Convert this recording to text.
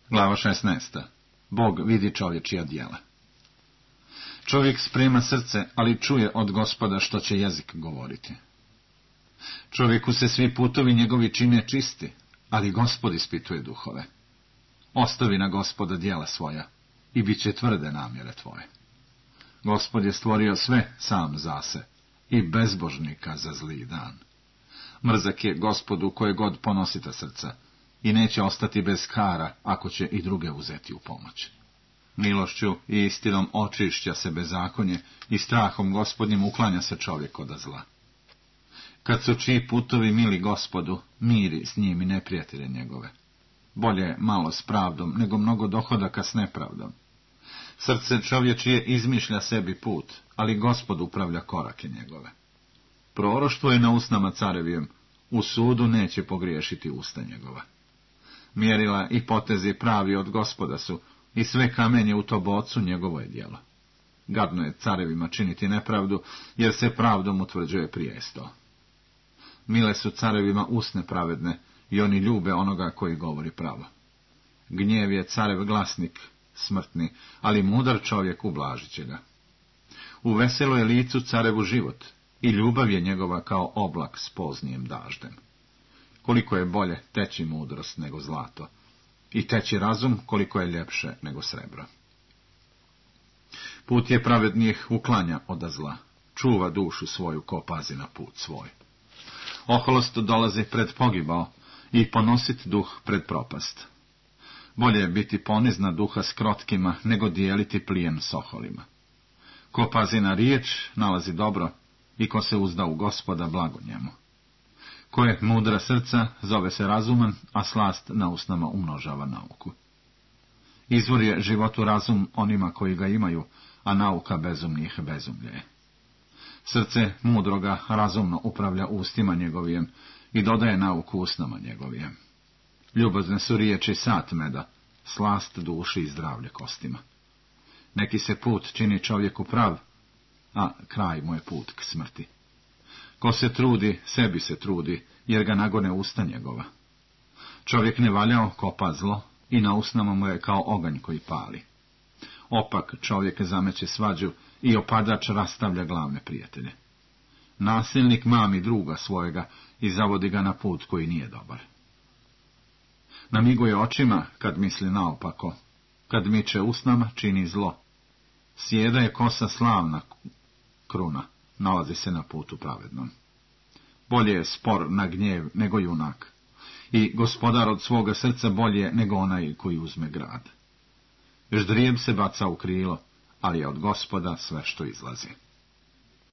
Glava 16. Bog vidi čovječija djela. Čovjek sprema srce, ali čuje od Gospoda što će jezik govoriti. Čovjeku se svi putovi njegovi čine čisti, ali Gospod ispituje duhove. Ostavi na Gospoda djela svoja i bit će tvrde namjere tvoje. Gospod je stvorio sve sam zase i bezbožnika za zli dan. Mrzak je Gospodu koje god ponosita srca i neće ostati bez kara ako će i druge uzeti u pomoć. Milošću i istinom očišća se bezakonje i strahom Gospodnjim uklanja se čovjek od zla. Kad su čiji putovi mili Gospodu, miri s njim i neprijatelje njegove. Bolje je malo s pravdom, nego mnogo dohodaka s nepravdom. Srce čovječije izmišlja sebi put, ali Gospod upravlja korake njegove. Proroštvo je na usnama carevijem, u sudu neće pogriješiti usta njegova. Mjerila i potezi pravi od Gospoda su, i sve kamenje u tobocu njegovo je djelo. Gadno je carevima činiti nepravdu, jer se pravdom utvrđuje prijesto. Mile su carevima usne pravedne, i oni ljube onoga koji govori pravo. Gnjev je carev glasnik, smrtni, ali mudar čovjek ublažit će ga. U veselo je licu carevu život, i ljubav je njegova kao oblak s poznijem daždem. Koliko je bolje teći mudrost nego zlato, i teći razum koliko je ljepše nego srebro. Put je pravednijih uklanja od zla, čuva dušu svoju ko pazi na put svoj. Oholost dolazi pred pogibao i ponosit duh pred propast. Bolje je biti ponizna duha s krotkima nego dijeliti plijen s oholima. Ko pazi na riječ nalazi dobro i ko se uzda u Gospoda blago njemu. Ko je mudra srca zove se razuman, a slast na usnama umnožava nauku. Izvor je životu razum onima koji ga imaju, a nauka bezumnih bezumlje je. Srce mudroga razumno upravlja ustima njegovijem i dodaje nauku usnama njegovijem. Ljubazne su riječi sat meda, slast duši i zdravlje kostima. Neki se put čini čovjeku prav, a kraj mu je put k smrti. Ko se trudi, sebi se trudi, jer ga nagone usta njegova. Čovjek ne valjao kopa zlo i na usnama mu je kao oganj koji pali. Opak čovjek zameće svađu i opadač rastavlja glavne prijatelje. Nasilnik mami druga svojega i zavodi ga na put koji nije dobar. Namiguje očima kad misli naopako, kad miče usnama čini zlo. Sjeda je kosa slavna kruna, nalazi se na putu pravednom. Bolje je spor na gnjev nego junak, i gospodar od svoga srca bolje nego onaj koji uzme grad. Ždrijeb se baca u krilo, ali je od Gospoda sve što izlazi.